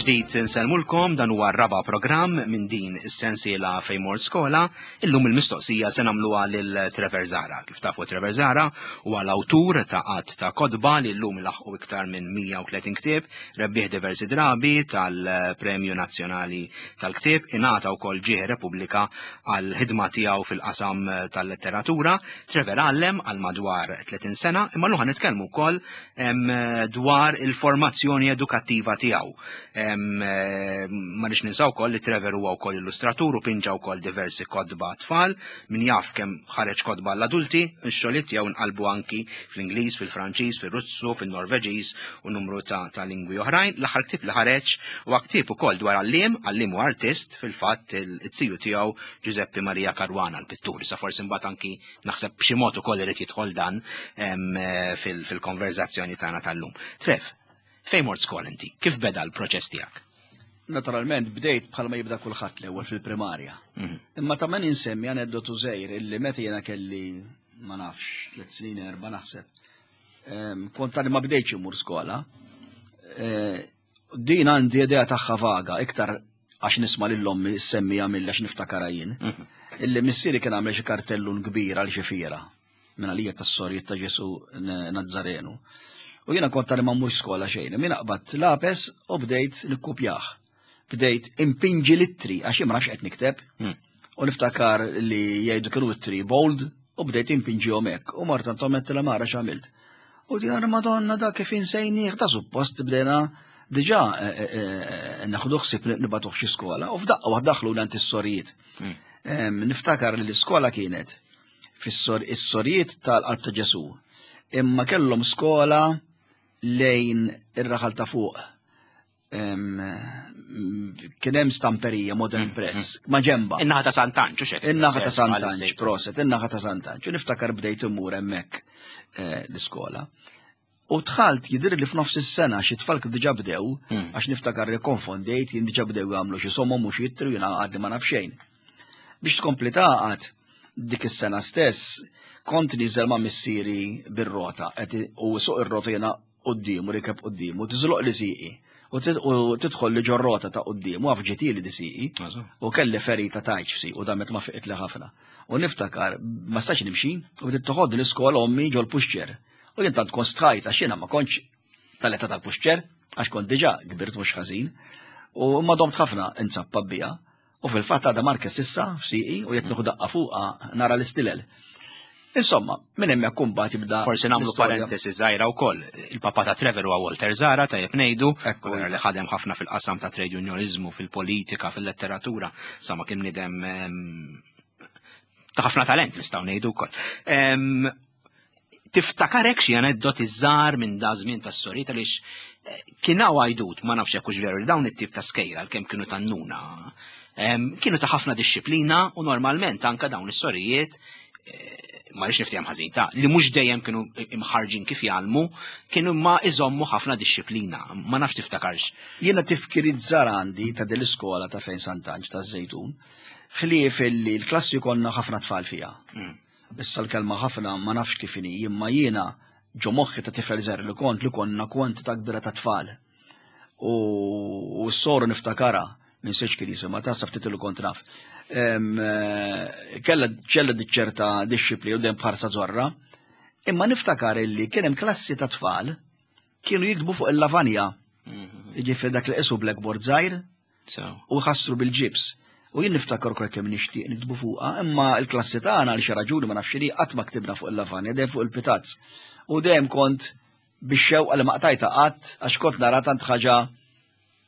Mill-ġdid nsellmulkom dan huwa r-raba' programm minn din is-sensiela fejn mort skola. Illum il-mistoqsija se nagħmluha lil Trevor Zahra. Kif tafu Trevor Zahra huwa l-awtur ta' qatt ta' kotba li llum laħqu iktar minn 130 ktieb, rebbieħ diversi drabi tal-Premju Nazzjonali tal-Ktieb, ingħata wkoll ġieħ Repubblika għal ħidma tiegħu fil-qasam tal-letteratura. Trevor għallem għal madwar 30 sena, imma llum nitkellmu wkoll dwar il-formazzjoni edukattiva tiegħu. Ma nix ninsaw wkoll li Trevor huwa wkoll illustratur u pinġa wkoll diversi kotba tfal, min jaf kemm ħareġ kotba l-adulti, ix-xogħliet tiegħu nqalbu anki fl-Ingliż, fil-Franċiż, fir-Russu, fin-Norveġiż u numru ta', ta lingwi oħrajn. L-aħħar ktieb li ħareġ huwa ktieb ukoll dwar għalliem, għalliem u artist, fil-fatt it-tiju tiegħu Giuseppe Maria Caruana l-pittur. Sa forsi mbagħad anki Naħseb b'xi mod ukoll irid jidħol dan eh, fil-konverzazzjoni tagħna tal-lum. Trev, fejn mort skol inti? Kif beda l-proċess tiegħek? Naturalment bdejt bħalma jibda kulħadd l-ewwel fil-primarja. Mhm. Imma ta' man insemmi aneddotu żgħir illi meta jiena kelli ma nafx tliet snin erba' naħseb. Kont għadni ma bdejtx imur skola. Eh, din għandi idea tagħha vaga, iktar għax nisma' lil ommi semmija mill għax niftakarha jien. Mhm. Illi missieri kien għamel xi kartellun kbir għal xi fiera minn għalija tas-sorijiet ta' Ġesu Nazzarenu. U jiena kont tali ma mmur skola xejn, min aqbad lapes u bdejt nikkupjah. Bdejt impinġi l-ittri għax jien ma nafx qed nikteb. Hmm. U niftakar li jgħidu kienu ittri bold u bdejt impinġihom hekk. U mort għand ommi la mara x'għamilt. U di għara madonna da kif insejnieh da suppost bdejna diġà eh, eh, eh, naħdu ħsieb nibatuh xi skola u f'daqqa waħda daħlu l is-sorijiet. Hmm. Niftakar li l-iskola kienet fis-sorijiet tal-qalb ta' Ġesu. Imma kellhom skola lejn ir-raħal ta' fuq kien hemm stamperija Modern mm, Press mm. ma' ġemba. In-naħa ta' Sant'Anġ, xek. In-naħa ta' Sant'Anġ, proset, in-naħa ta' Sant'Anġ. Niftakar bdejt immur hemmhekk eh, l-iskola. U dħalt jidher li f'nofs is-sena xi tfal kienu diġà bdew, mm. għax niftakar li konfondejt jien diġà bdew jagħmlu xi somom u xi jittru jiena għadni ma naf xejn. Biex tkompli taqgħad dik is-sena stess kont niżel ma' missieri bir-rota u suq ir-rota jiena quddiemu, rikeb quddiemu, tiżloq li sieqi u tidħol li ġorrota ta' quddiemu għaf ġitili di sieqi u kelli ferita tajċ f'sieqi u damet ma fiqit li ħafna. U niftakar ma stax nimxi u bdiet toħodni l-iskola ommi ġol puxċer. U jien tant kont stħajt għax jiena ma kontx tal-età tal-puxċer għax kont diġà kbirt mhux ħażin. U ma domt ħafna inzappa bija. U fil-fatt għadha marka sissa f'sieqi u jekk nieħu daqqa fuqha nara l-istilel. Insomma, minn hemmhekk kumbat jibda. Forsi nagħmlu parentesi żgħira wkoll. Il-papa ta' Trevor huwa Walter Zara tajjeb ngħidu, li ħadem ħafna fil-qasam ta' trade unionizmu, fil-politika, fil-letteratura, sa ma kien nidem ta' ħafna talent nistgħu ngħidu wkoll. Tiftakarek xi aneddoti żgħar minn da żmien tas-soriet għaliex eh, kien hawn għajdut ma nafx hekk hux veru li dawn it-tip ta' skejra għalkemm kienu tannuna kienu ta' ħafna dixxiplina u normalment anka dawn is-sorijiet eh, ma rridx niftehom ħażin ta' li mhux dejjem kienu imħarġin kif jgħallmu, kienu ma iżommu ħafna dixxiplina. Ma nafx tiftakarx. Jiena tifkiriet żgħar għandi ta' din l-iskola ta' fejn Sant'Anġ ta' Żejtun, ħlief illi l-klassi konna ħafna tfal fiha. Mm. Issa l-kelma ħafna ma nafx kif inhi, imma jiena ġo moħħi ta' tifel żgħir li kont li konna kwantità kbira ta' tfal. U s-soru niftakara minn seċ kien jisimha ta' ftit li kont naf. Eh, kella ċella ċerta dixxipli u dejjem bħarsa zorra, imma niftakar illi kien hemm klassi ta' tfal kienu jiktbu fuq il-lavanja. Mhm. Jiġifieri dak li qisu blackboard żgħir u jħassru bil-ġibs. U jien niftakar ukoll kemm nixtieq niktbu fuqha, imma l-klassi tagħna għal xi raġuni ma nafx qatt ma ktibna fuq il-lavanja, dejjem fuq il-pitazz. U dejjem kont bix-xewqa li ma qtajta qatt għax kont nara tant ħaġa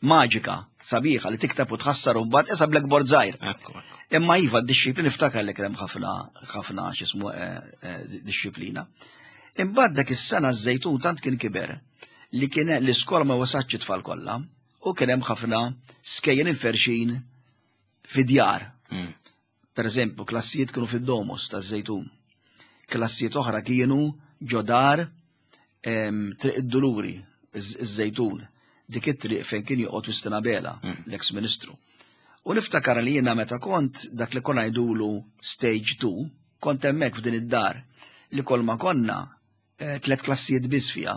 maġika, sabiħa li tikteb u tħassar u mbagħad isa blackboard żgħir. Imma iva d-dixxiplina niftakar li kien hemm ħafna ħafna x'ismu eh, eh, dixxiplina. Imbagħad dak is-sena ż-żejtun tant kien kiber li kien l-iskola ma wasatx it-tfal kollha u kien hemm ħafna skejjel inferxin fi djar. Hmm. Per eżempju, klassijiet kienu fid-domus taż-Żejtun. Klassijiet oħra kienu ġodar Triq id-Duluri, iż-Żejtun, dik it-triq fejn kien joqgħod Wistin Abela, hmm. l-eks ministru. U niftakar li jiena meta kont dak li konna jgħidulu stage 2, kont hemmhekk f'din id-dar li kol ma konna eh, tliet klassijiet biss fiha.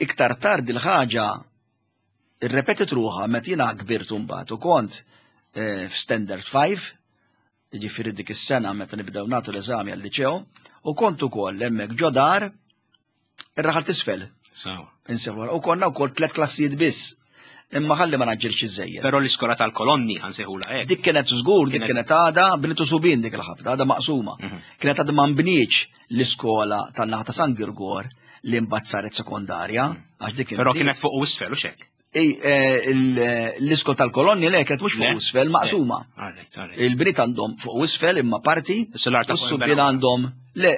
Iktar tard il-ħaġa. Irrepetit ruħha meta jiena kbirt mbagħad u kont eh, f'Standard 5, jiġifieri dik is-sena meta nibdew nagħtu l-eżami għal-liċeo, u kont ukoll hemmhekk ġo dar ir-raħal t'isfel. Insewwa. U konna wkoll tliet klassijiet biss. Imma ħalli ma naġġilx iżejjed. Però l-iskola tal-kolonni ħansejħula hekk. Dik kienet żgur, dik kienet għada bnitu subin dik il-ħabta, għada maqsuma. Mhm. Kienet għada ma nbniex l-iskola tan-naħa ta' San Girgor li mbagħad saret sekondarja, mhm. għax dik Però kienet fuq u isfel u xek. Eh, l-iskol tal-kolonni le kienet mhux fuq isfel maqsuma. Il-bniet għandhom fuq isfel imma parti, u s-subien għandhom le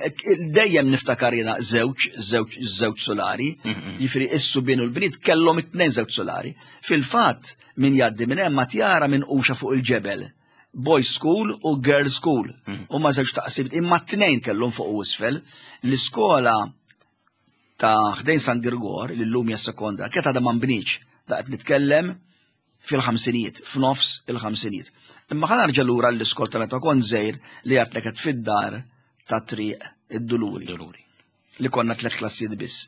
dejjem niftakar jiena żewġ żewġ żewġ solari, mhm. jiġifieri is-subien u l-bniet kellhom it-tnejn żewġ solari. Fil-fatt min jgħaddi minn hemm ma tjara minn quxa fuq il-ġebel. Boys school u girls school. Mhm. U ma żewġ taqsim imma t-tnejn kellhom fuq u isfel. L-iskola ta' ħdejn San Girgor, li llum hija sekonda, kienet għadha ma nbnietx, da qed nitkellem fil-ħamsinijiet, f'nofs il-ħamsinijiet. Imma ħa narġa' lura l-iskol ta' meta kont żgħir li għadtlek qed fid-dar ta' triq id-Duluri. Duluri. Li konna tliet klassijiet biss.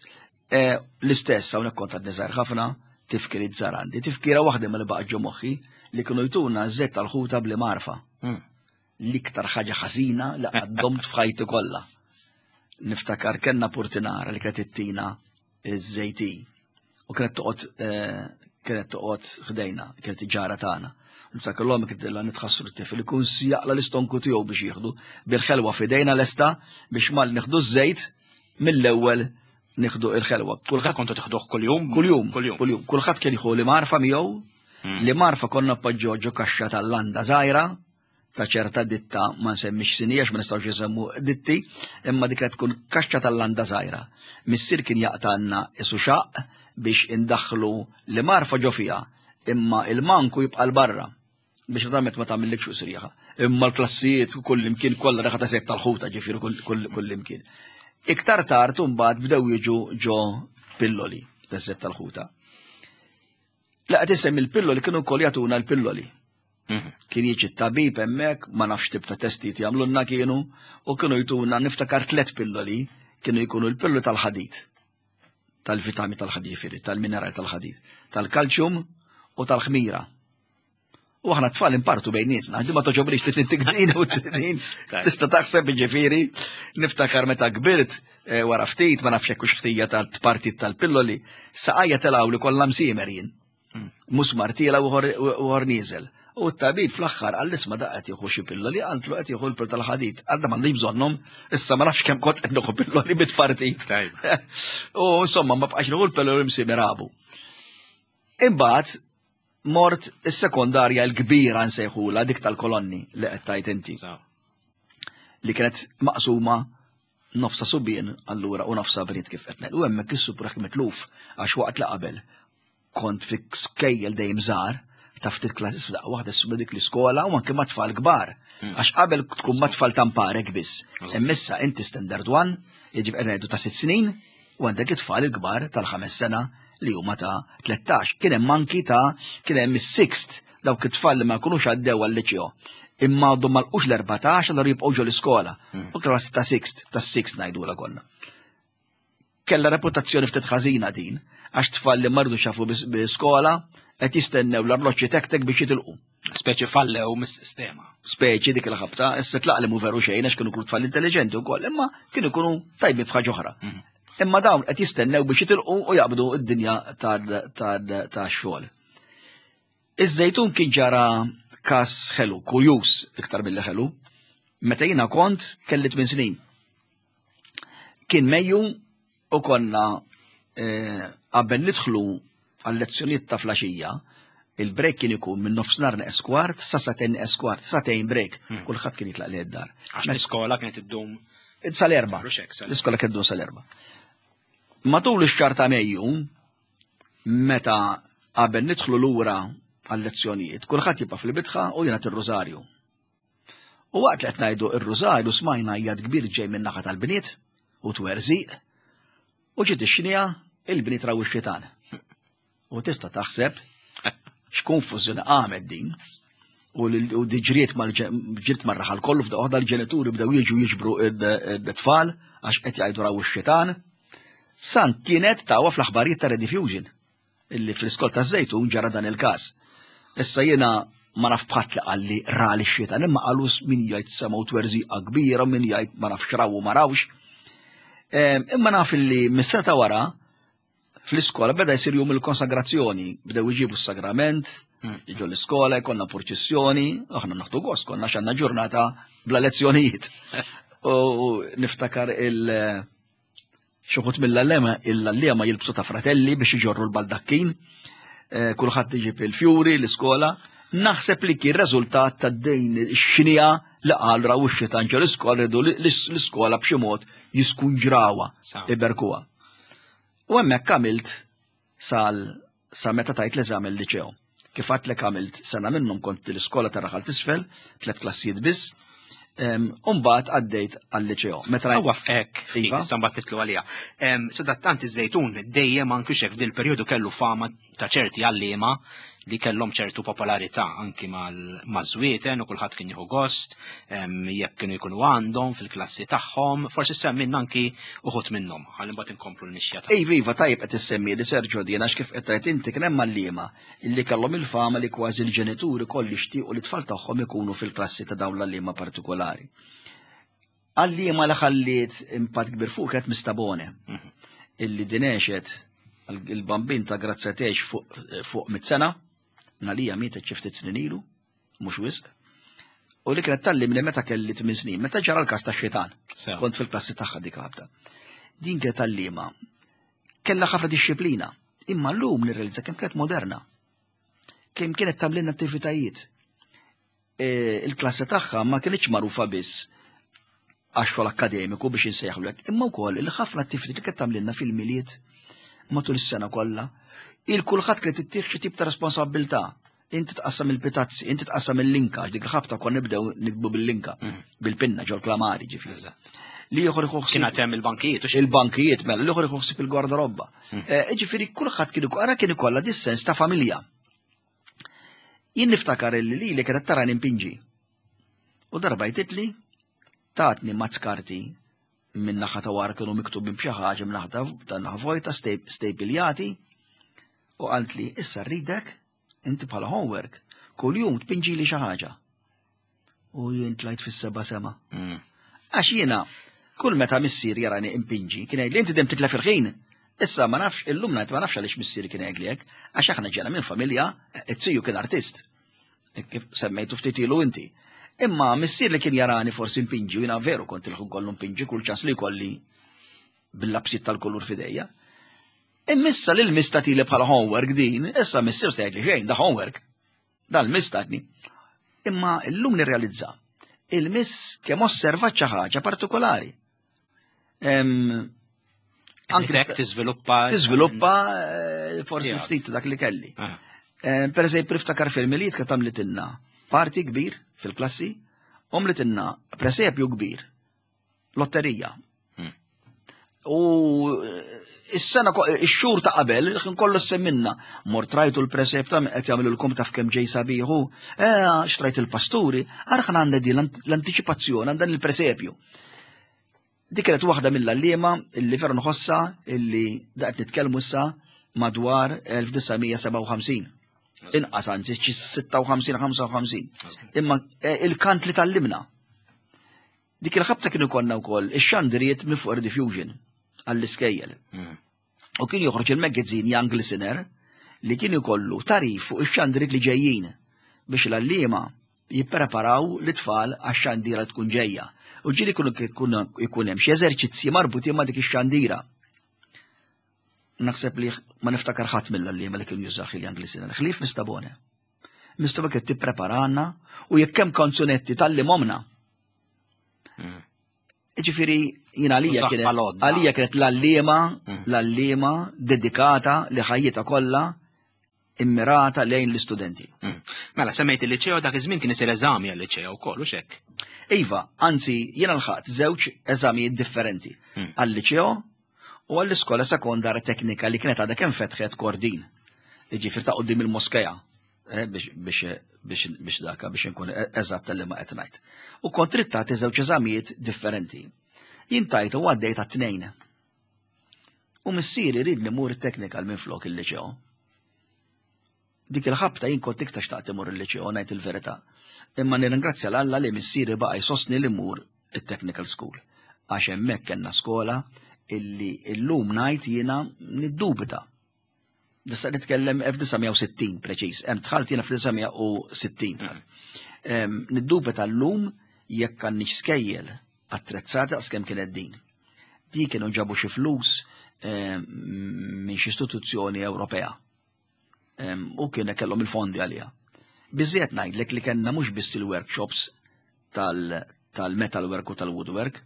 E, l-istess hawnhekk kont għadni żgħir ħafna, tifkiriet żgħar għandi. Tifkira waħda mill baqgħet ġo moħħi li kienu jtuna żejt tal-ħuta bli marfa. Hmm. L-iktar ħaġa ħażina li għaddomt f'ħajti kollha. Niftakar kellna purtinara li kienet ittina iż-żejti u kienet toqgħod eh, kienet toqgħod ħdejna, kienet ġara tagħna. Niftakar l-omm kienet illa nitħassru t-tifel ikun jaqla l-istonku tiegħu biex jieħdu bil-ħelwa f'idejna lesta biex mal nieħdu ż-żejt mill-ewwel nieħdu il-ħelwa. Kulħadd kontu teħduh kuljum? Kuljum, kuljum. Kulħadd kien jieħu li marfa miegħu, hmm. li marfa konna poġġoġġu ġo kaxxa tal-landa żgħira ta' ċerta ditta ma nsemmix sinija għax ma nistgħux nsemmu ditti, imma dik tkun kaxxa tal-landa żgħira. Missier kien jaqtanna isu xaq biex indaħħlu li marfa ġo fiha, imma il-manku jibqa' l-barra biex naturalment ma tagħmillikx fuq srieħa. Imma l-klassijiet kull imkien kollha reħa ta' sejt tal-ħuta ġifieri kull imkien. Iktar tard imbagħad bdew jiġu ġo pilloli ta' sejt tal-ħuta. La qed isemmi l-pilloli kienu wkoll jagħtuna l-pilloli. Mhm. Kien jiġi t-tabib hemmhekk, ma nafx tip ta' testijiet jagħmlulna kienu, u kienu jtuna niftakar tliet pilloli, kienu jkunu l-pilloli tal-ħadid, tal-vitami tal-ħadid, ġifieri, tal-mineral tal-ħadid, tal-kalċjum u tal-ħmira. U aħna tfal impartu bejnietna, di ma toġobrix li tintik din u din. Tista' taħseb ġifieri, niftakar meta kbirt eh, wara ftit ma nafx hekk ħtija tal-partit tal-pilloli, saqajja telgħu li kollha msiemer jien. Hmm. Musmar tiela u ħor nieżel. U t-tabib fl-aħħar għall isma da qed jieħu xi pilloli, għantlu qed jieħu l-pil tal-ħadid. Għadda m'għandix bżonnhom, issa ma nafx kemm kont qed nieħu pilloli bit-partit. U insomma ma bqax nieħu l-pilloli msiemer għabu. Imbagħad mort is-sekondarja l-kbira nsejħula dik tal-kolonni li qed tajt inti. Li kienet maqsuma nofsa subien allura u nofsa bniet kif qed U hemmhekk is-supraħ mitluf għax waqt li qabel kont fi skejjel dejjem żgħar ta' ftit klassi f'daqqa waħda s dik l-iskola u anke ma' tfal kbar. Hmm. Għax qabel tkun ma' tfal tamparek biss. Immissa inti standard one, jiġifieri qed ngħidu ta' sitt snin, U għandek it-tfal il-kbar tal-ħames sena li huma ta' 13. Kien hemm anki ta' kien hemm is-sixth dawk it-tfal li ma jkunux għaddew għal-liċeo. Imma għadhom ma lqux l-14 allura jibqgħu ġo l-iskola. Hmm. U klassi ta' sixth, ta' sixth ngħidula konna. Kella reputazzjoni ftit ħażina din, għax tfal li mardu xafu bi skola qed jistennew l-arloġġi tektek biex jitilqu. Speċi fallew mis-sistema. Speċi dik il-ħabta, issa tlaq li mu veru xejn għax kienu kull tfal intelligenti wkoll, imma kienu jkunu tajbin f'ħaġa oħra. Mhm. Imma dawn qed jistennew biex jitilqu u jaqbdu d-dinja tax-xogħol. Iż-żejtun kien ġara kas ħelu, kurjuż iktar mill ħelu, meta jiena kont kelli 8 snin. Kien Mejju u konna eh, qabel nidħlu għal-lezzjonijiet ta' flaxija, il-break kien ikun minn nofsinhar neqes kwart sa satejn neqes kwart, satejn break, hmm. kulħadd kien jitlaq li d-dar. Għax l-iskola kienet iddum sal-erba. L-iskola kienet iddum sal-erba. Matul ix-xahar ta' Mejju, meta qabel nidħlu lura għal-lezzjonijiet, kulħadd jibqa' fil-bitħa u jingħad ir-rużarju. U waqt li qed ngħidu r-rużarju smajna għajjat kbir ġej min-naħa tal-bniet u twerżiq u ġiet ix-xnija il-bniet raw ix-xitan. U tista' taħseb x'konfużjoni qamet din u diġriet mal-ġirt mar-raħal kollu f'daqqa waħda l-ġenituri bdew jiġu jiġbru id-tfal għax qed jgħidu raw ix-xitan. San kienet tawa fl-aħbarijiet ta' Rediffusion. illi fl-iskol ta' Żejtun ġara dan il-każ. Issa jiena ma naf bħat li qalli ra li xitan imma qalu min jgħid semgħu twerżiqa kbira, min jgħid ma nafx raw u ma rawx. Imma naf illi mis-sena ta' wara fl-iskola beda jsir jum il-konsagrazzjoni, bdew iġibu s-sagrament, jiġu l-iskola, jkollna purċissjoni, aħna naħdu gost, konna xanna ġurnata bla lezzjonijiet. U niftakar il- Xuħut mill-allema, il-allema jilbsu ta' fratelli biex iġorru l-baldakkin, eh, kulħadd iġib il-fjuri l-iskola. Naħseb li kien reżultat ta' dejn ix-xnija li qal raw ix-xitan ġo l-iskola rridu l-iskola b'xi mod jiskunġrawha, iberkuha. U hemmhekk għamilt sal sa meta tajt l-eżami l-liċew. Kif għadtlek għamilt sena minnhom kont l-iskola ta' raħal tisfel, tlet klassijiet biss, Umbat għaddejt għal-liċeo. Meta rajt. Hekk, iva. issa mbagħad titlu għalija. Sadattant iż-żejtun dejjem anki xek f'dil perjodu kellu fama ta' ċerti għalliema li kellhom ċertu popolarità anki maż-żwieten u kulħadd kien jieħu gost, jekk kienu jkunu għandhom fil-klassi tagħhom, forsi semminna anki uħud minnhom, ħalli mbagħad inkomplu l-mixja ta' Iva, iva, tajjeb qed issemmi li Sergio din għax kif qed tgħid inti kien hemm għalliema illi kellhom il-fama li kważi l-ġenituri koll jixtiequ li t-tfal tagħhom ikunu fil-klassi ta' dawn l-għalliema partikolari. Għalliema li ħalliet impatt kbir fuq kienet Mistabone, mhm. illi din għexet il-bambin ta' Grazzja tgħix fuq, fuq mit-sena, nalija mietet xi ftit snin ilu, mhux wisq. U li kienet tallimni meta kelli 8 snin, meta ġara l-każ ta' xitan. Kont fil-klassi tagħha dik ħabta. Din kienet tallima. Kellha ħafna disċiplina, imma llum nirrealizza kemm kienet moderna. Kemm kienet tagħmlilna attivitajiet. E, il-klassi tagħha ma kienx magħrufa biss għax-xogħol akkademiku biex insejħlek, imma wkoll il ħafna attivitajiet li kienet tagħmlilna fil-miliet matul is-sena kollha. Il-kulħadd kienet ittieħ xi tip ta' responsabbiltà. Inti tqassam il-pitazzi, inti tqassam il-linka, dik il-ħabta kon nibdew nikbu bil-linka, mm. bil-pinna ġol klamari ġifieri. Li ieħor iħossib. Kien hemm il-bankijiet. Il-bankijiet mela, li ieħor iħossib il-gwardarobba. Mm. Eh, ġifieri kulħadd kien ara kien ikollha dis-sens ta' familja. Jien niftakar illi li li kienet tara nimpinġi. U darba jtitli tatni mazz karti minn naħa ta' wara kienu miktubin b'xi ħaġa minn naħa ta' naħa vojta stejpiljati u qaltli issa rridek inti bħala homework kuljum tpinġili xi ħaġa. U jien tlajt fis-seba' sema. Mm. Għax jiena kull meta missier jarani impinġi kien jgħidli inti dem titlef il-ħin. Issa ma nafx illum ngħid ma nafx għaliex missieri kien jgħidli hekk, għax aħna ġena minn familja, it-tiju kien artist. Kif semmejtu ftit ilu inti. Imma missier li kien jarani forsi impinġi, jiena veru kont il-ħun kollu impinġi kull ċans li kolli bil-lapsit tal-kulur fidejja. Immissa li l-mista tili bħala homework din, issa missier se jgħidli xejn, da homework. Dan l-miss tatni. Imma llum nirrealizza il-miss kemm osservat xi ħaġa partikolari. Anke tiżviluppa. Tiżviluppa eh, forsi ftit dak li kelli. Ah. Eh, per eżempju, niftakar fil-miliet kif tagħmlitilna parti kbir fil-klassi, għamlitilna presepju kbir lotterija. Hmm. U eh, is-sena ix-xhur ta' qabel kien kollu semminna. Mort rajtu l-presep ta' qed jagħmlu taf kemm ġej sabiħu, eh xtrajt il-pasturi, ara għandha di l-antiċipazzjoni għand dan il-presepju. Dik kienet waħda mill-għalliema illi veru nħossa illi daqt nitkellmu issa madwar 1957. Inqas anzi xi 56-55. Imma eh, il-kant li tallimna Dik il-ħabta kienu konna wkoll ix-xandiriet minn fuq Rediffusion għall-iskejjel. Mm. U kien joħroġ il-magazine Young Listener li kien ikollu tarif fuq ix-xandiriet li ġejjin biex l-għalliema jippreparaw l-tfal għax-xandira tkun ġejja. U ġieli ikun hemm xi eżerċizzji marbutin ma' dik ix-xandira. Naħseb li ma niftakar ħadd mill-għalliema li kien jużaħ il-Young Listener, ħlief Mistabone. Mistoba kien tippreparana u jekk hemm kanzunetti tal-li momna. Hmm. Ġifieri jien għalija kienet għalija kienet l-allima, hmm. l-allima dedikata li ħajjita kollha immirata lejn l-istudenti. Hmm. Mela semmejt il-liċeo dak iż-żmien kien isir eżami għal-liċeo wkoll u xek. Iva, anzi jiena lħaqt żewġ eżamijiet differenti għal-liċeo u għall-iskola sekondarja teknika li kienet għadha kemm fetħet Kordin. Ġifier ta' qudiem il-moskeja eh, biex daka biex inkun e-, eżatt li ma qed ngħid. U kont trid tagħti żewġ eżamijiet differenti. Jien tajt u għaddejt għat-tnejn. U missieri ridni mur it-technical minn flok il-liċeo. Dik il-ħabta jien kont iktar xtaqt imur il-liċeo ngħid il-verità. Imma nirringrazzja l-Alla li missieri baqa' jsostni li mmur it-technical school. Għax hemmhekk kellna skola illi illum ngħid jiena niddubita. Nista' nitkellem 1960 preċiż, hemm dħalt jiena fl-1960. Niddubita llum jekk għandniex skejjel attrezzati daqs kemm kienet din. Di kienu ġabu xi flus minn xi istituzzjoni Ewropea. U kien kellhom il-fondi għaliha. Biżżejjed ngħidlek li kellna mhux biss il-workshops tal-metalwork u tal-woodwork,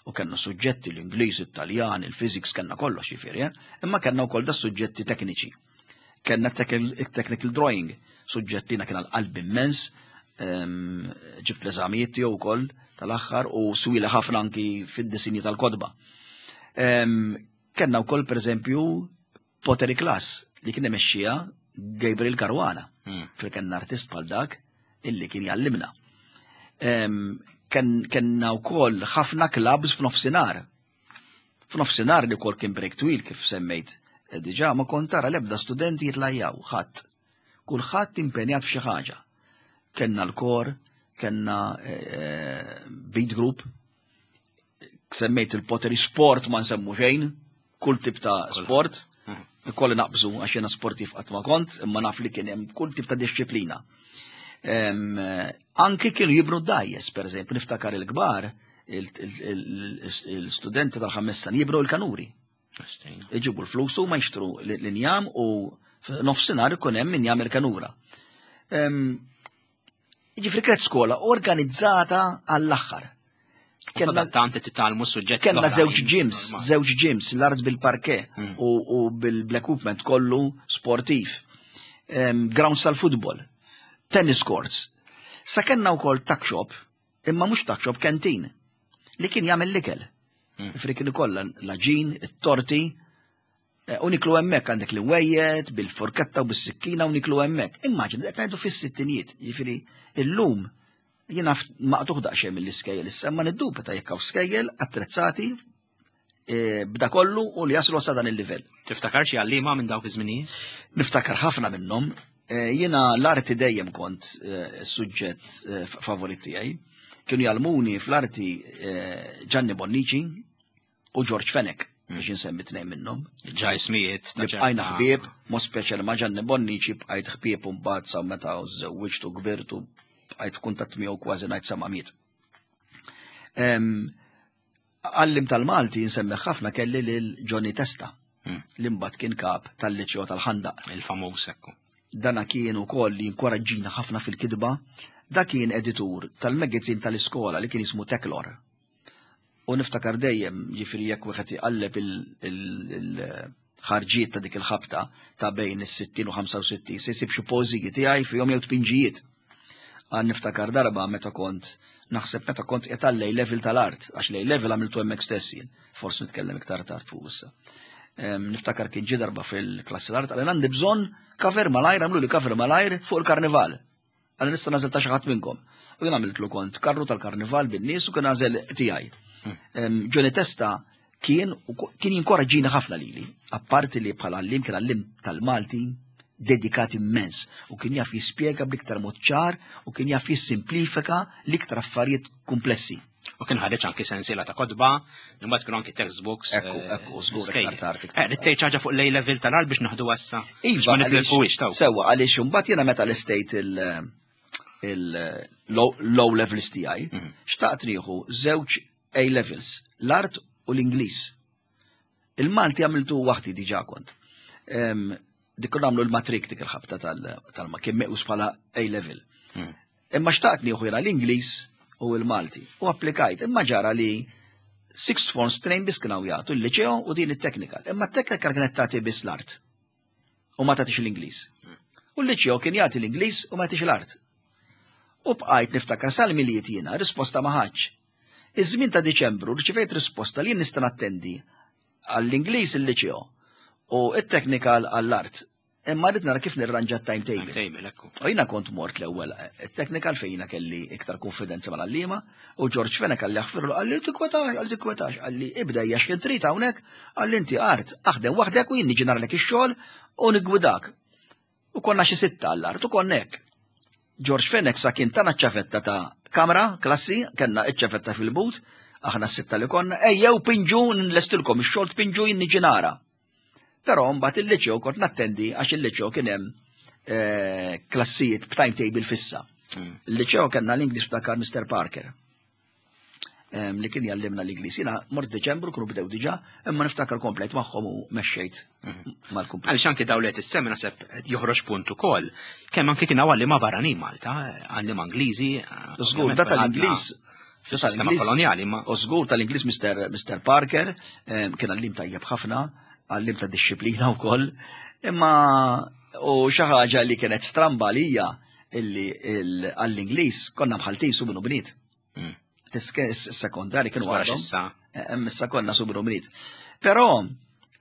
u kellna suġġetti l-Ingliż, it-Taljan, il-physics, kellna kollox jiġifieri, eh? Imma kellna wkoll da suġġetti tekniċi. Kellna technical drawing, suġġett li kien għal-qalb immens, ġibt l-eżamijiet tiegħu wkoll tal-aħħar u swila ħafna anki fid-disinji tal-kotba. Kellna wkoll pereżempju Pottery Class li kien imexxiha Gabriel Caruana, fil kellna artist bħal dak illi kien jgħallimna. Kenna wkoll ħafna clubs f'nofsinhar. F'nofsinhar li wkoll kien break twil kif semmejt eh, diġà ma kont tara l-ebda studenti jitlajjaw ħadd. Kulħadd impenjat f'xi ħaġa. Kenna l-kor, kenna eh, beat group, semmejt il-pottery sport ma nsemmu xejn, kull tip ta' sport, ikolli naqbżu għax jiena sportiv qatt ma kont, imma naf li kien hemm kull tip ta' disċiplina. Anki kienu jibnu d-dajjes, per eżempju, niftakar il-kbar, il-studenti tal-ħames sena jibnu l-kanuri. Iġibu l-flus u ma jixtru l-injam u nofsinhar ikun hemm min jagħmel kanura. Ġifri kienet skola organizzata għall-aħħar. Kenna tant titgħallmu suġġett. Kenna żewġ gyms, żewġ gyms, l-art bil-parke u bil-equipment kollu sportiv. Grounds tal-futbol, tennis courts. Sa kenna wkoll tuck shop, imma mhux tuck shop, canteen, li kien jagħmel l-ikel. Ġifri kien ikollha l-aġin, it-torti, Eh, u niklu hemmhekk għandek li wejjed bil-forketta u bis-sikkina u niklu hemmhekk. Immaġina qed ngħidu fis-sittinijiet, jiġifieri illum jiena maqtuħ daqsxejn mill-iskejjel issa ma niddubita jekk hawn skejjel attrezzati eh, b'da kollu u li jaslu sa dan il-livell. Tiftakar xi għalliema minn dawk iż-żminijiet? Niftakar ħafna minnhom. Eh, jiena l-arti dejjem kont suġġett favorit tiegħi. Kienu jgħallmuni fl-arti Gianni Bonnici, u George Fenech biex insemmi tnejn minnhom. Ġa ismijiet. Li bqajna ħbieb, mod speċjali ma' Gianni Bonnici bqajt ħbieb u mbagħad sa meta żewwiġtu kbirtu bqajt f'kuntatt miegħu kważi ngħid sa ma miet. Għallim tal-Malti nsemmi ħafna kelli lil Johnny Testa li mbagħad kien kap tal-Liċeo tal-Ħandaq. Il-famuż ekku. Dana kien ukoll jinkoraġġina ħafna fil-kitba. Da kien editur tal-magazine tal-iskola li kien jismu Teklor. U niftakar dejjem, jiġifieri jekk wieħed iqalleb il-ħarġiet ta' dik il-ħabta ta' bejn is-60 u 65 se jsib xi poeżiji tiegħi fihom jew tpinġijiet. Għan niftakar darba meta kont naħseb meta kont qiegħed għal level tal-art, għax lej level għamiltu hemmhekk stess jien, forsi nitkellem iktar tard fuq issa. Niftakar kien ġie darba fil-klassi l-art għal għandi bżonn cover malajr, għamlu li cover malajr fuq il-karnival. Għalli nista' nażel ta' xi ħadd minnkom. U jien għamiltlu kont karru tal-karnival bin-nies u kien għażel tiegħi. Johnny Testa kien kien jinkoraġġina ħafna lili, apparti li bħala għallim kien għallim tal-Malti dedikat immens u kien jaf jispjega bl-iktar mod ċar u kien jaf jissimplifika l-iktar affarijiet komplessi. U kien ħareġ anki sensiela ta' kotba, imbagħad kienu anki textbooks. Ekku, eh, ekku, żgur iktar tard. Eh, Rittejt ħaġa fuq l level tal-art biex naħdu għassa. Iva, ma nitlilquwiex taw. Sewwa, għaliex imbagħad jiena meta l-estate il-low levels tiegħi, xtaqt nieħu żewġ A levels, l-art u l-Ingliż. Il-Malti għamiltu waħdi diġà kont. Dik konna għamlu l-matrik dik il-ħabta tal-ma kien mequs bħala A level. Imma xtaqt nieħu jiena l-Ingliż u l-Malti. U applikajt, imma ġara li sixth forms tnejn biss kienu jagħtu l-liċeo u din it-technical. Imma t-technical kienet tagħti biss l-art. U ma tagħtix l-Ingliż. U l-liċeo kien jagħti l-Ingliż u ma jagħtix l-art. U bqajt niftakar sal-miliet jiena risposta ma ħadx. Iż-żmien ta' Diċembru rċivejt risposta li jien nista' nattendi għall-Ingliż il-liċeo u it-technical għall-art. Imma rrid nara kif nirranġa t-timetable. Timetable, ekku. U jiena kont mort l-ewwel it-technical fejn jiena kelli iktar konfidenza mal-għalliema u George Fenech qalli aħfirlu qalli tikkwetax, qalli tikkwetax, qalli ibda hija x'kien trid hawnhekk, qalli inti art, aħdem waħdek u jien niġi naralek ix-xogħol u niggwidak. U konna xi sitta għall-art u konna hekk. George Fenech sa kien tana ċ-ċavetta ta' kamra, klassi, kellna ċ-ċavetta fil-but, aħna s-sitta li konna, ejjew pinġu nlestilkom ix-xogħol tpinġu jien niġi nara. Però mbagħad il-liċew kont nattendi għax il-liċew kien hemm eh, klassijiet b'timetable fissa. Il-liċew kellna l-Ingliż ftakar Mr. Parker. Li kien jallimna l-Ingliż. Jiena mort Deċembru kienu bdew diġà, imma niftakar komplet magħhom u mexxejt mal-kumplament. Għaliex anki dawn li qed issemmi naħseb joħroġ punt ukoll. Kemm anki kien hawn għalliema barranin Malta, għalliema Ingliżi. Żgur, da tal-Ingliż. Fis-sistema kolonjali ma. U żgur tal-Ingliż Mr. Parker kien għallim tajjeb ħafna, għallim ta' dixxiplina wkoll, imma u xi ħaġa li kienet stramba għalija illi għall-Ingliż konna mħaltin su minnu bniet. Sekondari kienu għadhom. Eh, issa konna subru mrit. Però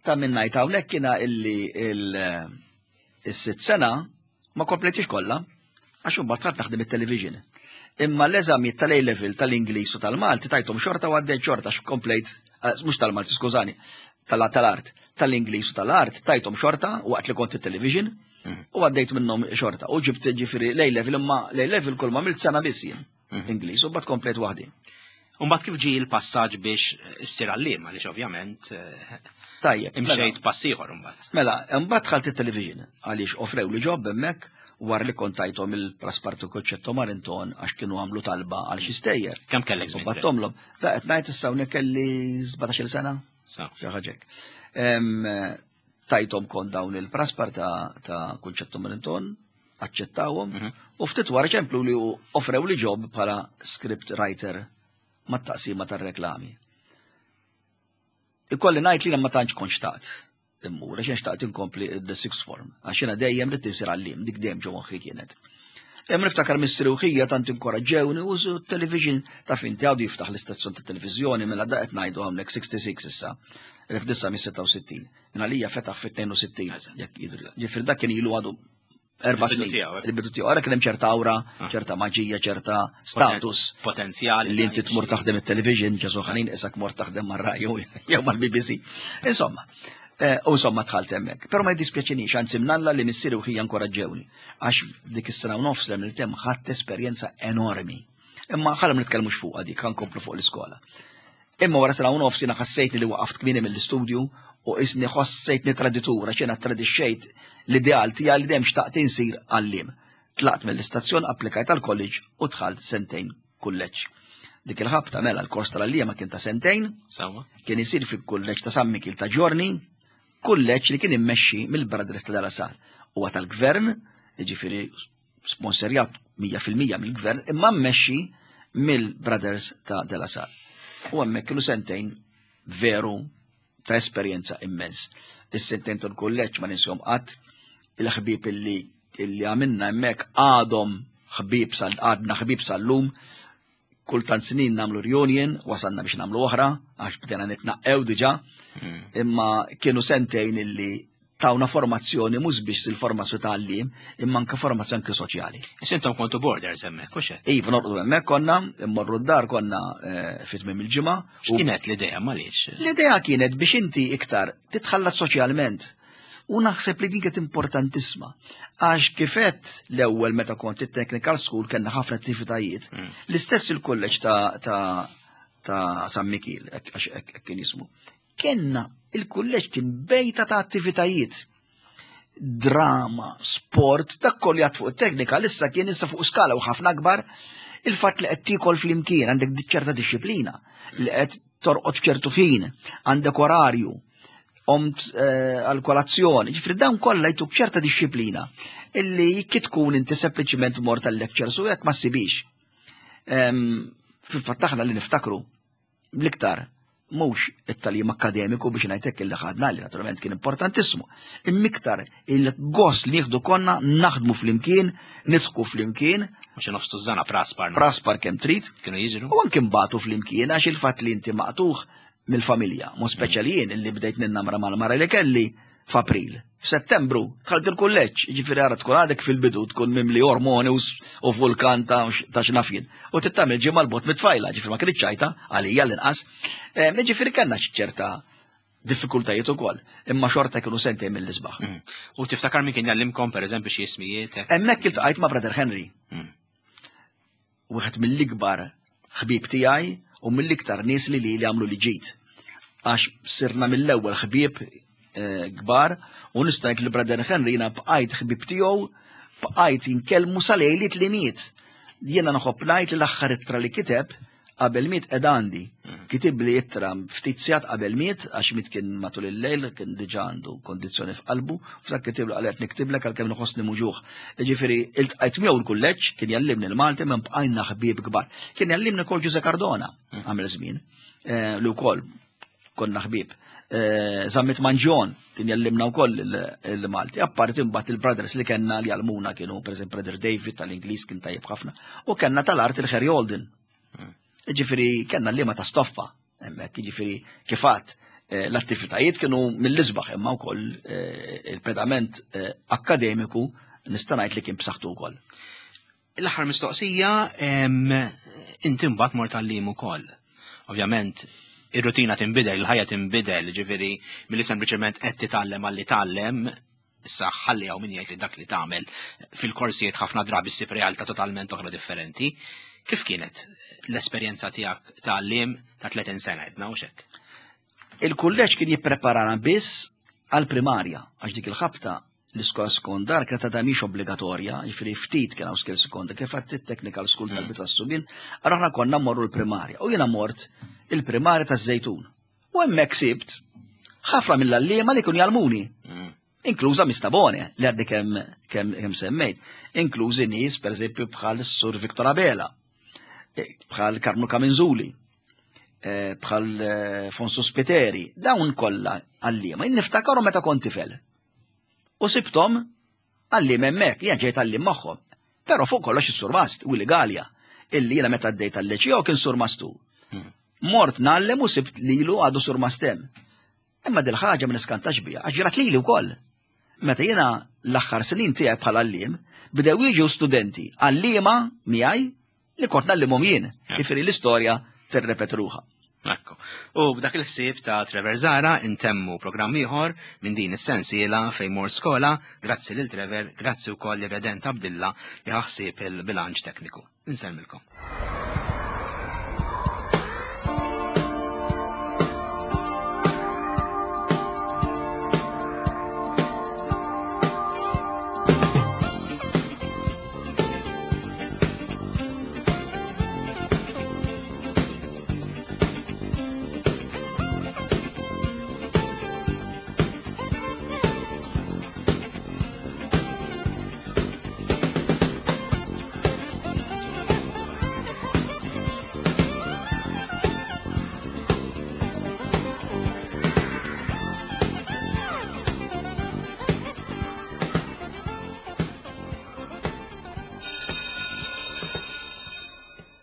ta' minn ngħid hawnhekk kiena illi il-sitt sena ma kompletix kollha għax imbagħad ħadd naħdem it-television. Imma l-eżami tal-A level tal-Ingliż u tal-Malti tajthom xorta u għaddejt xorta komplejt, eh, mhux tal-Malti skużani, tal-art, tal-Ingliż u tal-art tajthom xorta waqt li kont it-television u għaddejt minnhom xorta. U ġibt ġifieri l-A level imma l-A level kull ma milt sena biss jien. Mhm. Ingliż u bat komplet waħdi. Umbat kif ġi l-passaġġ biex issir għallim, għaliex ovvjament eh, Tajjeb. Mela. Imxejt pass ieħor imbagħad. Mela, imbagħad dħalt it-television għaliex offrew li ġob hemmhekk wara li kont tajthom il-praspartu koċċetto Marinton għax kienu għamlu talba għal xi stejjer. Kemm kellek żmien? Battomlhom. Ta' qed ngħid issa hawnhekk kelli 17-il sena. Xi ħaġa hekk. Tajthom kont dawn il-praspar ta' ta' Kunċetto Marinton, aċċettawhom, mhm. u ftit wara ċemplu li offrew li job bħala script writer mat-taqsima tar-reklami. Ikolli ngħid li ma tantx kont xtaqt immur, għax xtaqt inkompli the sixth form, għax jiena dejjem rid insir għallim, dik dejjem ġo moħħi kienet. Hemm niftakar missieri u ħija tant inkoraġġewni u television ta' finti għadu jiftaħ l-istazzjon ta' televiżjoni mela da qed ngħidu hawnhekk 66 issa, 1966. Minn għalija fetaħ fit-62. Ġifier dak kien ilu għadu erba' snin. Eh. Il-bidu tiegħu. Ara kien hemm ċerta awra, ah. ċerta maġija, ċerta status. Potenzjali. Li inti tmur taħdem it-television, ġesu ħanin isak mor taħdem mar-raju jew mal-BBC. Insomma, eh, u insomma dħalt hemmhekk. Però ma jdispjaċinix, anzi mnalla li missieri u ħija inkoraġġewni. Għax dik is-sena u nofs li għamilt hemm ħadt esperjenza enormi. Imma ħalli ma nitkellmux fuqha dik, ħankomplu fuq l-iskola. Imma wara sena u nofs jiena ħassejtni li waqaft kmieni mill-istudju u qisni ħossejtni traditur għax jiena tradixxejt l-ideal tiegħi li dejjem xtaqt insir għalliem. Tlaqt mill-istazzjon, applikajt għall-college u dħalt sentejn kulleġġ. Dik il-ħabta mela l-kors tal-għalliema kien ta' sentejn, kien isir fil-kulleġġ ta' San Mikil ta' Ġorni, kulleġġ li kien immexxi mill-Brothers ta' Dal-Asar. Huwa tal-gvern, jiġifieri sponsorjat 100% mill-gvern, imma mmexxi mill-Brothers ta' De La Salle. U hemmhekk kienu sentejn veru ta' esperjenza immens. Is-sentejn tal-kulleġġ ma ninsihom qatt, il-ħbieb illi illi għamilna hemmhekk għadhom ħbieb sal għadna ħbieb sal-lum, kultant snin namlu reunion, wasalna biex namlu oħra, għax bdejna nitnaqqew diġà, hmm. imma kienu sentejn illi tawna formazzjoni mhux biex il-formazzjoni ta' għalliem, imma anke formazzjoni anke soċjali. Intom kontu borders hemmhekk, hux hekk? Iva, norqdu hemmhekk konna, immorru d-dar konna eh, fi tmiem il-ġimgħa. X'kienet l-idea m'għaliex? L-idea kienet biex inti iktar titħallat soċjalment. U naħseb li din kienet importantissima. Għax kifet l-ewwel meta kont it-technical school kellna ħafna attivitajiet. Mm. L-istess il-kulleġġ ta' ta' ta' San Mikil, għax hekk kien jismu. Kenna il-kulleġġ kien bejta ta' attivitajiet. Drama, sport, dak kollu jgħat fuq it-teknika, issa kien issa fuq skala u ħafna akbar, il-fatt li qed tiekol flimkien għandek ċerta disċiplina li qed torqod f'ċertu ħin, għandek orarju, omt eh, għal-kolazzjoni, ġifri dawn kollha jtuk ċerta disċiplina illi jekk tkun inti sempliċiment mort tal-lectures u jekk ma ssibix. Fil-fatt aħna li niftakru l-iktar mhux it-talim akkademiku biex ngħidlek illi ħadna li naturalment kien importantissimu, imma iktar il-gost li nieħdu konna naħdmu flimkien, nidħku flimkien. Mhux nofs tużana praspar. Praspar kemm trid. Kienu jiġru. U anke mbagħtu flimkien għax il-fatt li inti maqtuħ mill-familja, mod speċjali jien illi bdejt ninnamra mal-mara li kelli f'April. F'Settembru dħalt il-kulleġġ, jiġifieri ara tkun għadek fil-bidu tkun mimli ormoni u vulkan ta' x'naf jien. U tittamil ġimgħa l-bot mit-tfajla, ġifieri ma kienx ċajta għalija l-inqas. Jiġifieri kellna ċerta Diffikultajiet ukoll, imma xorta kienu sentejn mill-isbaħ. U tiftakar min kien jgħallimkom pereżempju xi ismijiet? Hemmhekk iltqajt ma' Brother Henry. Wieħed mill-ikbar ħbieb tiegħi u mill-iktar nies li li għamlu li ġid. Għax sirna mill-ewwel ħbieb eh, kbar u nista' ngħid li Brother Henry jiena bqajt ħbieb tiegħu bqajt inkellmu sal-lejliet li miet. Jiena nħobb ngħid li l-aħħar ittra li kiteb qabel miet qed għandi. Mm. Kitibli ittra ftit sigħat qabel miet għax miet kien matul il-lejl kien diġà għandu kondizzjoni f'qalbu, f'dak kitiblu qal qed niktiblek għalkemm nħossni muġuħ. Jiġifieri iltqajt miegħu l-kulleġġ kien jallimni l-Malti minn bqajna ħbieb kbar. Kien jallimni kol Ġuże Cardona mm. għamel żmien eh, li wkoll konna ħbieb. Eh, Zammit Manġon kien jallimna wkoll il-Malti. Apparti mbagħad il-brothers li kellna li jallmuna kienu pereżempju Brother David tal-Ingliż kien tajjeb ħafna u kellna tal-art il-Harry Holden. Hmm. Ġifieri kellna liema ta' stoffa hemmhekk, jiġifieri kifat eh, l-attivitajiet kienu mill-isbaħ imma wkoll eh, il-pedament akkademiku nista' ngħid li kien b'saħħtu wkoll. L-aħħar mistoqsija, inti mbagħad mort għallim ukoll. Ovvjament, ir-rutina tinbidel, il-ħajja tinbidel, ġifieri milli sempliċement qed titgħallem għalli tgħallem, issa ħalli hawn min jgħid li dak li tagħmel fil-korsijiet ħafna drabi ssib realtà totalment oħra differenti. Kif kienet l-esperjenza tiegħek ta' għalliem ta' 30 sena edna u xek? Il-kulleġġ kien jippreparana biss għall-primarja, għax dik il-ħabta l-iskola sekondar kienet għadha mhix obbligatorja, jiġifieri ftit kien hawn skil sekonda, kif għadt it-technical school mm. tal-bidu tas-subien, allura aħna konna mmorru l-primarja. U jiena mort il-primarja taż-Żejtun. U hemmhekk sibt ħafna mill-għalliema li kienu jgħallmuni. Mm. Inkluża Mistabone, li għaddi kemm kem, semmejt. Inklużi nies, per eżempju, bħal Sur Viktor Abela, eh, bħal Karnu Kaminzuli, eh, bħal eh, Fonso Spiteri, dawn kollha għalliema. Jien niftakarhom meta kont tifel. U sibtom għallim hemmhekk, jien ġejt għallim magħhom. Però fuq kollox is-surmast, Willi Galea, illi jiena meta għaddejt għal-leċio kien surmastu. Hmm. Mort nallem u sibt lilu għadu surmastem. Imma dil-ħaġa ma niskantax biha, għax ġrat lili wkoll. Meta jiena l-aħħar snin tiegħi bħala għalliem, bdew jiġu studenti għalliema miegħi li kont nallimhom jien. Jifieri l-istorja tirrepet ruħha. Ekku. U b'dak il-ħsieb ta' Trevor Zara intemmu programm ieħor minn din is-sensiela fejn mort skola, grazzi lil Trevor, grazzi wkoll lil Redent Abdilla li ħaħsieb il-bilanċ tekniku. Insellmilkom.